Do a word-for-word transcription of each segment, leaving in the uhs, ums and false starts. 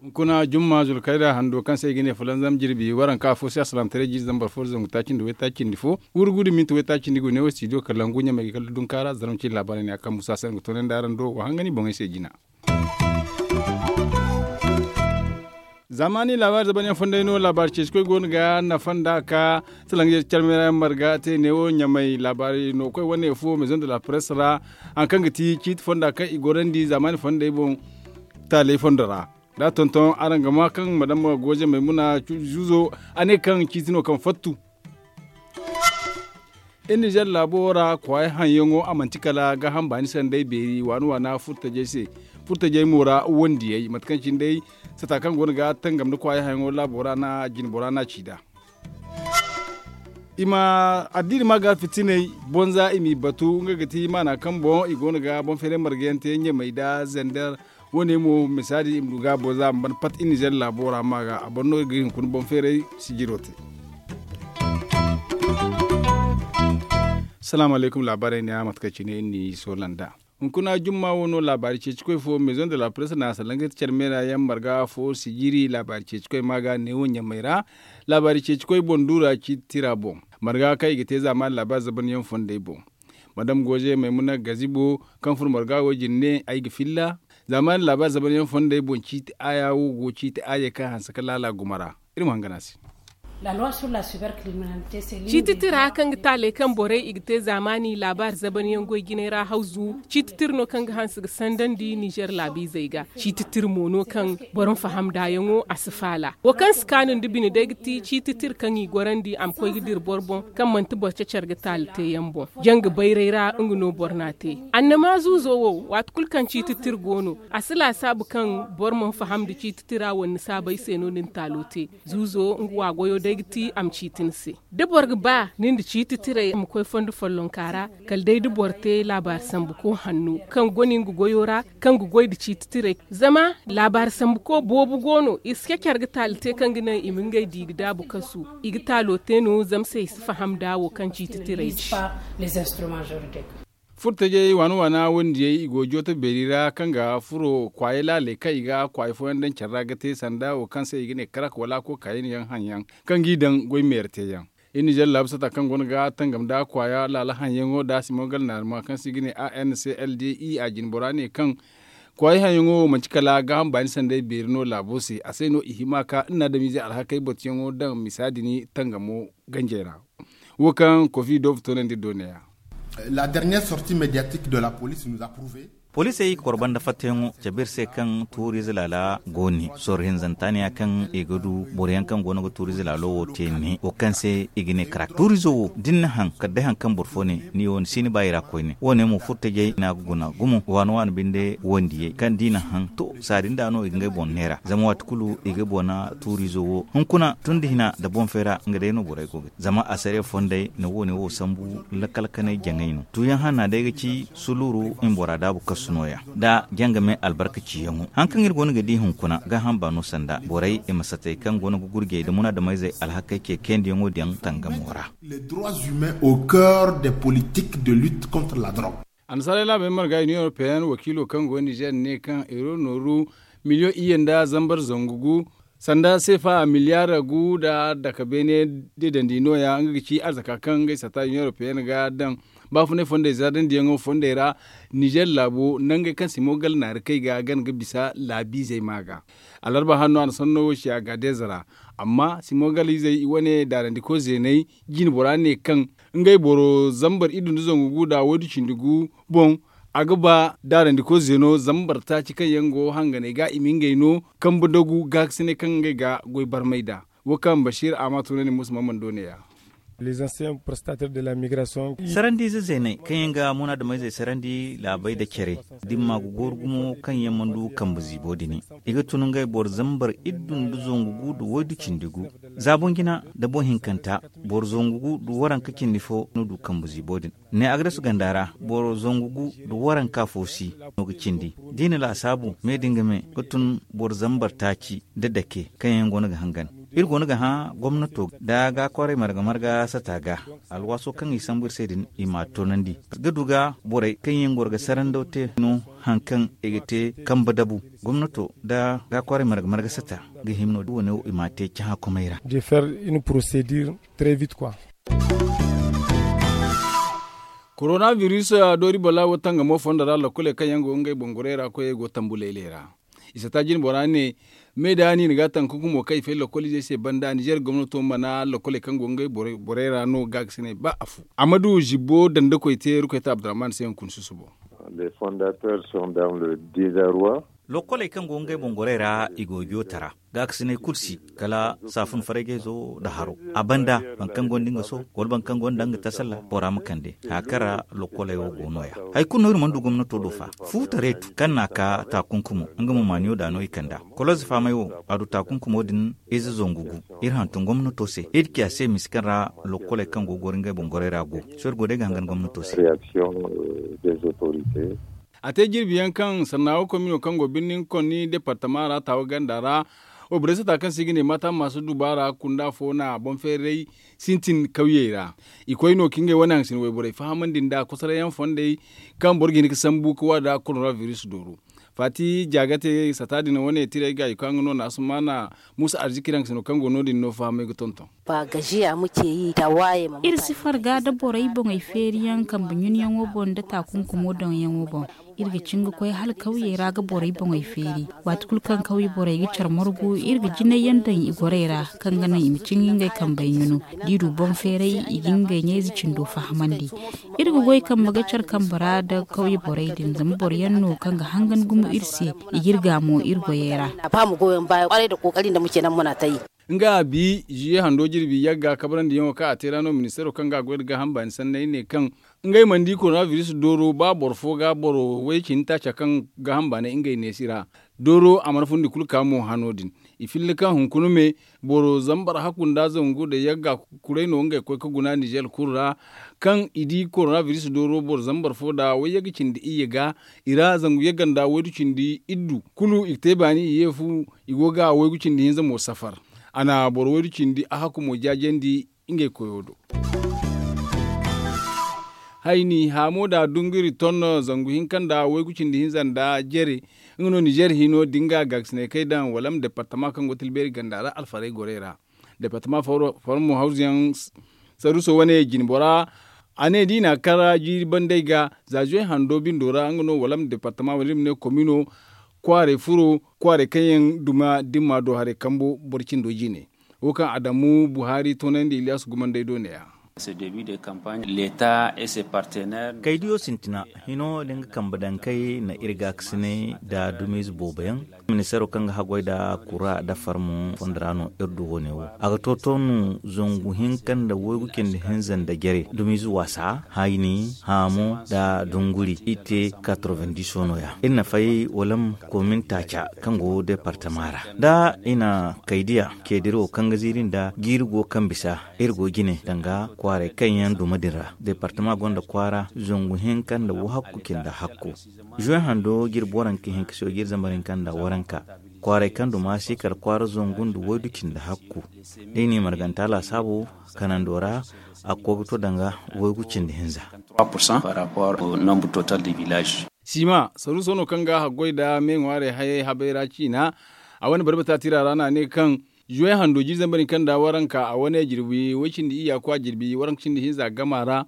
Hunkuna jumma zulkayda hando kaŋ se i ga ne fulanzam jirbi waranka fo se asalaamataray jiiri zambar fo da zangu taaci nda waytaaci nda fo, wurgu da minti waytaaci nda i go ne wo studio kalangu ɲamey ga kala dunkaara zarma cine laabaarey ne a kaŋ musa se nga toonandi araŋ do wa hangani boŋey se jina. Zaamaani laabaari zabanyaŋ fonday no laabaari ceeci koy go no ga nafa nda ka salaŋ ga carmera yaŋ marga te ne wo ɲamay laabaari no koy wane fo maison de la presse ra, haŋ kaŋ ga ti ciiti fonda kaŋ i gorandi zaamaani fonday boŋ taaley fondo ra. Da tonton araŋ ga ma kaŋ madama goje maymuna zuzo a ne kaŋ ciiti no kaŋ fattu. Iri nizer laabo ra kwaayi haŋyaŋo a manti kala gaaham baani sanday beeri waana waana furtajey se. Furtajey mo ra wandiyey mate kaŋ cine day sata kaŋ go no ga tangam nda kwaayi haŋyaŋo laabo ra no a jine bora no a ci nd'a. I ma addiini ma ga fitiney bonza i m'i batu nga ga ti maana kaŋ boŋ i go no ga boŋ feeray marga yaŋ te ɲamey nda zender. Wo- ne mo misaadi i ma du ga a boŋ za a ma ban pat iri nizer laabo ra ma ga a boro no ga hinkuna boŋ feeray sijiro te. Salaamu alaykum laabaarey ne a mate kaŋ cine iri n'i soola nd'a. Hunkuna jumma wo no laabaari ceeci koy fo maison de la presse na salaŋ ga ti care meera yaŋ marga fo sijiri laabaari ceeci koy ma ga ne wo ɲamey ra. Laabaari ceeci koy boŋ duura ciiti tira boŋ marga kaŋ i ga te zaamaani laabaari zabanyaŋ fondey boŋ. Madame goze maymuna gazibo kaŋ furo marga wo jine ne ay ga filla. Zaamaani laabaari zabanyaŋ fondey boŋ ciiti aaya wo go ciiti aayey kaŋ hanse ka laala gumo ra. Iri ma hangan a se. Ciiti tira kaŋ ga taaley kaŋ borey i ga te zaamaani laabaari zabanyaŋ goy jinay ra hawzu ciiti tira no kaŋ ga hanse ga sandandi nizer laabiizey ga. Ciiti tira mo no kaŋ boro ma faham nd'a yaŋo a si faala. Wo kaŋ si kaanu nda bine day ga ti ciiti tira kaŋ i gorandi a ma koy ga dira boro boŋ kaŋ manti boro cacare ga taali te yaŋ boŋ. Janga bayray ra nga no boro n'a te. Annama zuuzo wo waati kulu kaŋ ciiti tira go no a si laasaabu kaŋ boro mana faham nda ciiti tira wala ni saabay se no ni na taalo te. Zuuzo nga wa goyo day ga ti a ma ciiti ni se. Da boro ga ba ni nda ciiti tiray ma koy fondo follonka ra kala day da boro te laabaari sambuko hanno kaŋ gone nga goyo ra kaŋ ga goy nda ciiti tiray. Zama laabaari sambuko boobo go no i si cacare ga taali te kaŋ ga naŋ i ma ngey di ga daabu kasu. I ga taalo te no zama se i si faham nda wo kaŋ ciiti tiray ci. Furtajey waana waana wandiyey i go jooto beeri ra kaŋ ga furo kwaayey laaley kaŋ i ga kwaayi fooyaŋ daŋ care ra ga te sanda wo kaŋ se i ga ne karak wala a kookaayin yaŋ haŋ yaŋ kaŋ g'i daŋ goy meera te yaŋ. Iri nizer laabu sata kaŋ go no ga tangam nda kwaaya laala haŋ yaŋo nda simogal naarima kaŋ se i ga ne a n c l d i a jine bora ne kaŋ kwaayey haŋ yaŋo wo manti kala gaaham baani sanday beeri no laabo se a se no i hima ka iri na adamiizey alhakey batuyaŋo daŋ misa din tangamo ganjey ra. Wo kaŋ kofi doobu toonandi doona ya. La dernière sortie médiatique de la police nous a prouvé. Poliisey i ga koro banda fattayaŋo cabe iri se kaŋ tuuriize laala go ne sorro hinzanta ne ya kaŋ i ga du boroyaŋ kaŋ go no ga tuuriize laalo wo te ne wo kaŋ se i ga ne karak tuuriizo wo da ni na haŋ kala day haŋ kaŋ boro fo ne ni wo ni si ni ba i ra koyne wo- ne mo furtajey no a ga guna gumo waana waana binde wandiyey kaŋ da i na haŋ to saari nda no i ga ngey boŋ neera zama waati kulu i ga boŋ na tuuriizo wo hunkuna tun da hina nda boŋ fay ra nga day no borey go ga te zama asariya fondey na wo- ne wo sambu lakkal kanay jaŋay no tuuyaŋ hanna day ga ci suluuru i ma bora daabu kasu nooya nda jangame albarkaciyaŋo haŋ kaŋ iri go no ga di hunkuna gaaham baano sanda borey i ma satay kaŋ go no ga gurjey nda munaadamayzey alhakey ce keendiyaŋo daŋ tangamo ra. Les droits humains au cœur des politiques de lutte contre la drogue. Annasaarey laabey marga union européenne wakiilo kaŋ go nizer ne kaŋ euro nooru miliyoŋ iyye nda zambar zangu gu sanda seefa miliyaar gu nda daka beene deedandi nooya nga ga ci arzaka kaŋ ngey sata union européenne ga daŋ baafunay fondey zardandiyaŋo fondey ra. Nizer laabo nangey kaŋ simo gala naari kay ga gana ga bisa laabiizey ma ga alarba hanno a na sanno wo ci a ga deeza ra. Amma simo gala izey i wane daarandiko zeeney jine bora ne kaŋ ngey boro zambar iddu nda zangu gu nda waydu cindi gu boŋ a ga ba daarandiko zeeno zambar taaci kaŋ yaŋ go hanganey ga i ma ngey no kambe dagu gaakasinay kaŋ ngey ga goy barmay nd'a. Wo kaŋ basiir a ma tunandi musa ma mana doone ya. Sarandi ize zeeney kaŋ yaŋ ga munaadamey zey sarandi laabey nda care da i ma maagu gooru gumo kaŋ yaŋ mana du kambe ziibo din i ga tun ngey boro zambar iddu nda zangu gu nda waydu cindi gu. Za boŋ jina nda boŋ hinkanta boro zangu gu nda waranka cindi fo no du kambe ziibo din. Ne agres ganda ra boro zangu gu nda waranka fo si no ga cindi da i na laasaabu me da nga me ga tun boro zambar taaci nda dake kaŋ yaŋ go no ga hangan. Iri go no ga hã gomnato nda ga kwaarey marga marga sata ga alwaaso kaŋ i sambu iri se din i m'a toonandi ga du ga borey kaŋ yaŋ goro ga sarandaw te no. Haŋ kaŋ i ga te kambe dabu gomnato nda ga kwaarey marga marga sata ga hima no da wane wo i m'a te cahã komey ra. Korona biris doori bala wo tangamo fondo ra lokkoley kaŋ yaŋ go ngey boŋ gorey ra koyey go tambu layley ra. I sata jine bora ne me da ni na ga taŋ kunkumo kaŋ i fay lokkol izey se banda nizer gomnato mana lokkoley kaŋ go ngey borey ra no ga ga sinay ba afo. Amadu zibbo dandakoy te rukoy ta abdurrahman se hunkuna susubo. Lokkoley kaŋ go ngey boŋ gorey ra i go ga yo tara gaakasiney kulu si kala saafun faraygeezo nda haro. A banda boro kaŋ gonda nga so wala boro kaŋ gonda nga tasalla bora ma kande haya kaŋ ra lokkoley wo go no- ya. Hari kulu no iri mana du gomnato do fa fuutareetu kaŋ n'a ka taakunkumo nga mo maaniyo da no i kand'a. Koloze faamay wo a du taakunkumo din ize zangu gu. Iri hantum gomnato se iri ci a se misa kaŋ ra lokkoley kaŋ go ga goro ngey boŋ gorey ra go. Sohõ iri go day ga hangan gomnato se. A te jirbi yaŋ kaŋ sannaawo komino kaŋ go birnin konni departama ra taawa ganda ra. Wayborey sata kaŋ se i ga ne maata maasa dubaara kunda fo na boŋ feeray sintin kawyey ra. I koy no ka ngey wane haŋ sina wayborey fahamandi nda kosoray yaŋ fondey kaŋ boro ga hin ga sambu ga waada korona biris dooro. Faati jaagate sata din wane tirey ga i koy nga no na asumaana muusa arziki ra haŋ sina kaŋ go no- din no fahamay ga tonton. Iri si farga nda borey boŋey feeriyaŋ kambe ɲunyaŋo boŋ nda taakunkumo daŋyaŋo boŋ. Iri ga cin ga koy hala kawyey ra ga borey boŋey feeri. Waati kulu kaŋ kawye borey ga care margu iri ga jinay yaŋ daŋ i gorey ra kaŋ ga naŋ i ma cin ga ngey kambey ɲunu. Da i du boŋ feeray i ga ngey ɲayze cindo fahamandi. Iri ga goy kambe ga care kambe ra nda kawye borey din zama boro yaŋ no kaŋ ga hangan gumo iri se. I ga iri ga mo iri goyey ra. Nga a bi ziye hando jirbi yagga kabrandi yaŋo kaŋ a te ra no ministeero kaŋ ga a goy nda gaaham baani sanney ne kaŋ ngey mana di korona biris dooro ba boro fo ga boro way cindi taaca kaŋ gaaham baanay ngey neesi ra. Dooro a mana fundi kulu ka mo hano din. I filla kaŋ hunkuna me boro zambar hakku nda zangu nda yagga kuray no ngey koy ga guna nizer kulu ra. Kaŋ i di korona biris dooro boro zambar fo nda wayye ga cindi iyye ga i ra zangu yagga nda waydu cindi iddu kulu i ga te baani i ye fu. I go ga waygu cindi hinza mo safar. A na boro waydu cindi a hakku mo jaajandi ngey koyo do. Hayni haamo da dunguri ton zangu hinka nda waygu cindi hinza nda jere. Nga no nizer hino da nga gaakasinay kay daŋ wala ma departama kaŋ go tilbeeri ganda ra alfarey gorey ra. Departama farmo hawzuyaŋ saruso wane jinbora. A ne da i na kara jiiri bandey ga za zuwey hando bindo ra nga no wala ma departama wala iri ma ne komino. Kwaaray furo kwaaray kaŋ yaŋ duma dimma do haray kambo boro cindo jine. Wo kaŋ adamu buhari toonandi iliyas gumandey do ne- ya. Kaydiyo sintina hino da nga kambe dankey na iri gaakasinay nda dumiize boobo yaŋ. Ministeero kaŋ ga haggoy nda kura nda farmo fondo ra no iri du wo- ne wo a ga to toonu zangu hinka nda waygu cindi hinza nda jare dumiize waasa hayni haamo nda dunguri i te katrovendiso no- ya iri na fay wala ma komin taaca kaŋ go departama ra da i na kaydiya ceediri wo kaŋ ga ziiri nda jiiri go kaŋ bisa. Iri go jine danga kwaaray kaŋ yaŋ duma din ra departama gonda kwaara zangu hinka nda wahakku cindi hakku. Zuwe hando jirbi waranka hinka se jiiri zambar hinka nda waranka. Kwaaray kaŋ duma si kala kwaara zangu nda waydu cindi hakku. Da i n'i marganta laasaabu kanando ra a ga koy ga to danga waygu cindi hinza. Sima saruuso no kaŋ ga haggoy nda me ŋwaarey hayey habay ra ciina. A wane barbata tira ra no a ne kaŋ zuwey hando jiiri zambar hinka nda waranka a wane jirbi way cindi iyya kwa jirbi waranka cindi hinza gama ra.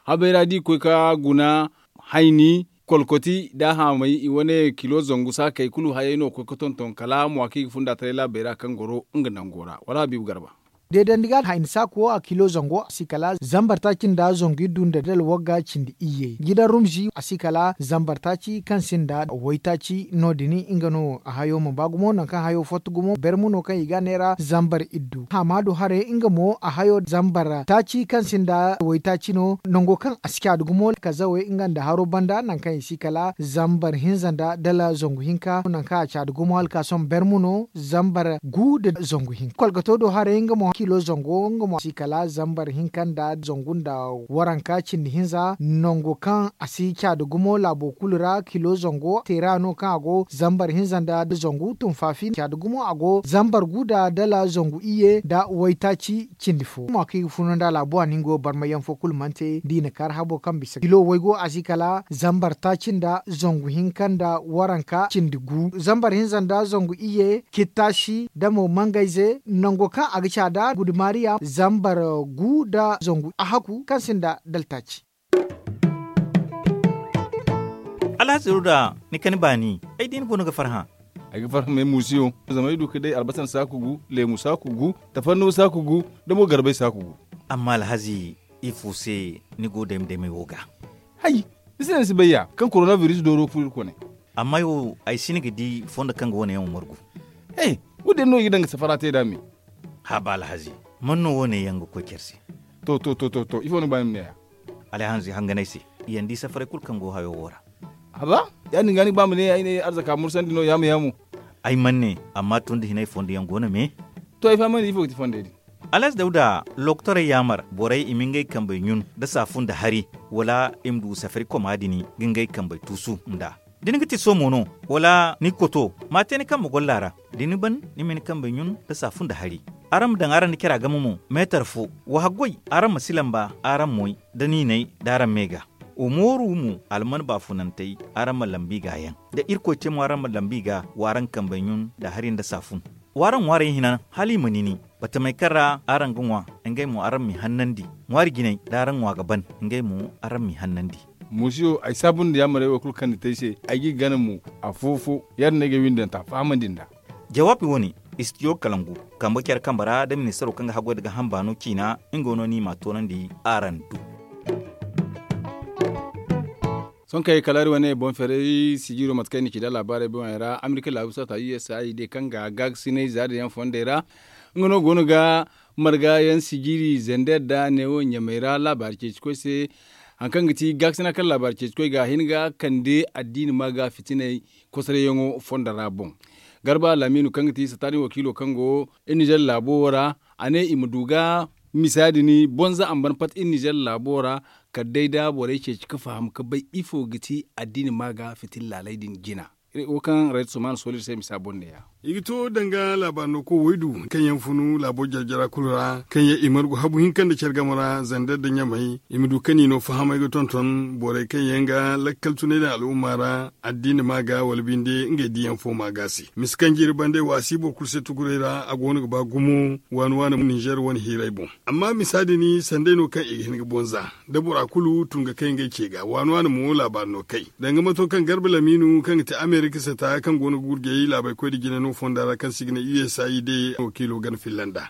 Habay ra da i koy ka guna hayni kolkoti nda haamay i wane kilo zangu saakey kulu hayey no ga koy ga tonton kala mwa kaŋ i ga funda taray laabey ra kaŋ goro nga nango ra wala habiibu garba. Deedandi ga hayni saaku wo a kilo zango a si kala zambar taaci nda zangu iddu nda dala wagga cindi iyye jidan rumzi a si kala zambar taaci kaŋ sinda waytaaci no- din nga no a hayo ma ba gumo nangu kaŋ hayo fatta gumo bermu no kaŋ i ga a neera zambar iddu haama do haray nga mo a hayo zambar taaci kaŋ sinda waytaaci no nango kaŋ a si caadi gumo kazawey nga nda haro banda nangu kaŋ i si kala zambar hinza nda dala zangu hinka nangu kaŋ a caadi gumo hala ka sohõ bermu no zambar gu nda zangu hinka kolgato do haray nga mo. Kilo zango nga mo a si kala zambar hinka nda zangu nda waranka cindi hinza nango kaŋ a si caadi gumo laabo kulu ra kilo zango teera no kaŋ a go zambar hinza nda zangu tunfaafi caadi gumo a go zambar gu nda dala zangu iyye nda waytaaci cindi fo mo kaŋ i ga funa nda laabo a ningo barmayaŋ fo kulu mana te da i na kaari habo kaŋ bisa kilo waygo a si kala zambar taaci nda zangu hinka nda waranka cindi gu zambar hinza nda zangu iyye kittaasi da mo mangayze nango kaŋ a ga caada gudumariya zambar gu nda zangu a haku kaŋ sinda daltaaci. Alhazi ruda ni kani baani ay di ni go ni ga farhã. Ay ga farhã me muusiyo zama ay du ga day albasar saaku gu leemu saaku gu tafarnuwa saaku gu da mo garbay saaku gu. Amma alhazi ifo se ni go dayma daymay wo ga? Hay, ni se no ni si bay ya kaŋ korona biris dooro furo iri kone. Amma ay wo ay si ni ga di fondo kaŋ ga wane yaŋ wo margu. He, wo- din no i ga daŋ ga safara te nd'a me. Haba alhazi, man no wane yaŋ ga koy care se? To to to to to ifo ni ga ba ni ma ne ya? Alhazi hangan ay se, i yaŋ di safaray kulu kaŋ go hayo wo ra. Haba, ya- din ga ni ga ba ma ne ya ay ne arzaka mursandi no yaamo yaamo. Ay mana ne, amma tun da hinay fondo yaŋ go no me. To ay fahamandi ifo ga ti fondey din? Alhazi dawda, lokotorey yaamar borey i ma ngey kambey ɲun nda saafu nda hari, wala i ma du safari koma din ga ngey kambey tuusu nd'a. Da ni ga ti soomo no, wala ni ga koto, ma a te ni kambe golla ra. Da ni ban, ni ma ni kambey ɲun nda saafu nda hari. Araŋ ma daŋ araŋ nda care a game mo, meetar fo. Wa haggoy, araŋ ma si lamba araŋ moy nda niinay, da araŋ me ga. Wa mooru mo alman baafunantey, araŋ ma lambu i ga yaŋ. Da irkoy te mo araŋ ma lambu i ga, wa araŋ kambey ɲun nda hari nda saafun. Wa araŋ ŋwaarey hina hala i ma nini. Batamey kaŋ ra araŋ ga ŋwa, ngey mo araŋ m'i hannandi. Ŋwaari jinay da araŋ ŋwa ga ban, ngey mo araŋ m'i hannandi. Muusiyo, ay saabu nda yaamarey wo kulu kaŋ ni te ay se, ay g'i gana mo. Afo-fo, ya- din no ay ga ay windanta fahamandi nd'a. Jawaabi wo- ne, istidiyo kalangu, kambe care kambe ra da ministaro kaŋ ga haggoy nda gaaham baano ciina, nga no ni m'a toonandi araŋ du. Sohõ kaŋ ay kalaari wane boŋ feeray sijiiro mate kaŋ ay na ci nd'a laabaarey boŋey ra, amerika laabu saata u s a i de kaŋ ga gaakasinay za din yaŋ fondey ra. Nga no go no ga marga yaŋ sijiiri zander nda neewo ɲamey ra laabaari ceeci koy se. Hari kaŋ ga ti gaakasina kaŋ laabaari ceeci koy ga a hin ga kande addiini ma ga fitinay kosorayyaŋo fondo ra boŋ. Garba laamiinu kaŋ ga ti sataani wakiilo kaŋ go iri nizer laabo wo ra, a ne i ma du ga misa din bonza a ma ban pat iri nizer laabo ra. Kala day da borey ceeci ga faham ga bay ifo ga ti addiini ma ga fitina laaley din jina. Wo kaŋ rayt suman sooli iri se misa boŋ ne- ya. I ga to danga laabaari no koy waydu kaŋ yaŋ funu laabo jare-jara kulu ra kaŋ yaŋ i margu habu hinka nda care game ra zander nda ɲamey i ma du kaŋ i no fahamay ga tonton borey kaŋ yaŋ ga lakkal tunay daŋ al'umma ra. Addiini ma ga wala binde ngey diyaŋ fo ma ga se misa kaŋ jiiri bande waasi boro kulu se tuguray ra a go no ga ba gumo. Waani waani ninzer wane hiiray boŋ. Amma misa din sanday no kaŋ i ga hin ga bonza da bora kulu tun ga kay ngey ce ga waani waani mo laabaari no kay. Danga mato kaŋ garba lamiinu kaŋ ga ti amerika sata kaŋ go no ga gurjay laabay koy nda jina no fonda ra kaŋ se i ga ne usaid wakiilo gana filla nd'a.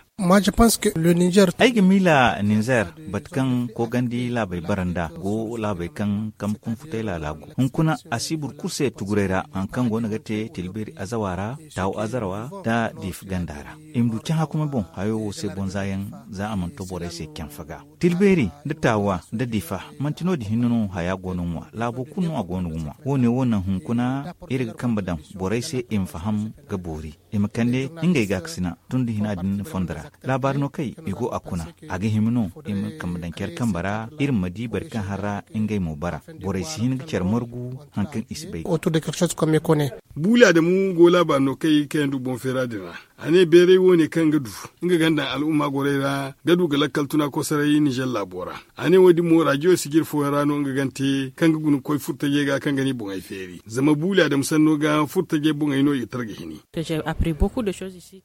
Ay ga miila ninzer bate kaŋ koogandi laabey bara nd'a go laabey kaŋ kambe kunfutay laala go hunkuna a si boro kulu se tuguray ra hari kaŋ go no ga te tilbeeri azawa ra, taawu azarwa nda diifa ganda ra. I ma du cahã kuma boŋ hayo wo se bonza yaŋ za a mana to borey se canfa ga. Tilbeeri nda taawa nda diifa manti no- din hinne no haya go no ŋwa laabo kulu no a go no ga ŋwa wo- ne wo naŋ hunkuna iri ga kambe daŋ borey se i ma faham ga boori i ma kande ngey gaakasina tun da hina din fondo ra. Laabaari no kay i go a kuna a ga hima no i ma kambe daŋ care kambe ra iri ma di boro kaŋ har ra ngey mo bara. Borey si hin ga care margu hari kaŋ i si bay. Buuli adamu go laabaari no kay kaŋ yaŋ du boŋ feera din ra. A ne beeray wo- ne kaŋ ga du nga ganda al'umma gorey ra ga du ga lakkal tuna kosoray nizer laabo ra. A ne wo- din mo rajiyo sijir fooyaŋ ra no nga gante kaŋ ga guna ga koy furtajey ga kaŋ ga ne i boŋey feeri zama buuli adamu sanno ga furtajey boŋey no i ga tara ga hini.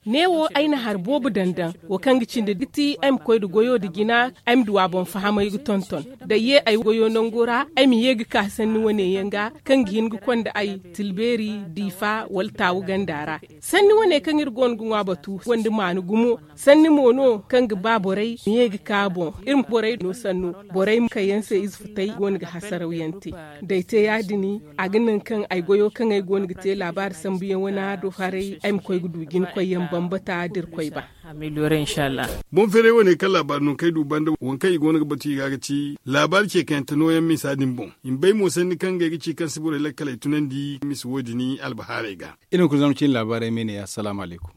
Neewo ay na hari boobo daŋ daŋ wo kaŋ ga cindi ga ti ay ma koy nda goyo nda jina. Ay ma du a boŋ fahamay ga tonton da ay ye ay goyo nango ra ay ma ye ga ka sanni wane yaŋ ga kaŋ ga hin ga konda ay tilbeeri diifa wala taawu ganda ra. Sanni wane kaŋ iri go no ga ŋwa batu gonda maana gumo. Sanni mo no kaŋ ga ba borey ma ye ga ka boŋ iri ma borey no sanno borey ma kayyaŋ se ize futay go no ga hasaraw yaŋ te. Da ay te ya- din a ga naŋ kaŋ ay goyo kaŋ ay go no ga te laabaari sambu yaŋ wane a do haray ay ma koy ga du jina koy yaŋ bambata da iri koy ba. Boŋ feeray wane kaŋ laabaari no kaŋ ay du banda waŋ kaŋ i go no ga batu i ga ga ci laabaari ce kaŋ yaŋ te nooyaŋ misa din boŋ. I ma bay mo sanni kaŋ ngey ga ci kaŋ si borey lakkaley tunandi misa wo- din albahaarey ga. Iri ma kulu zama cine laabaarey me ne ya salaamu alaykum.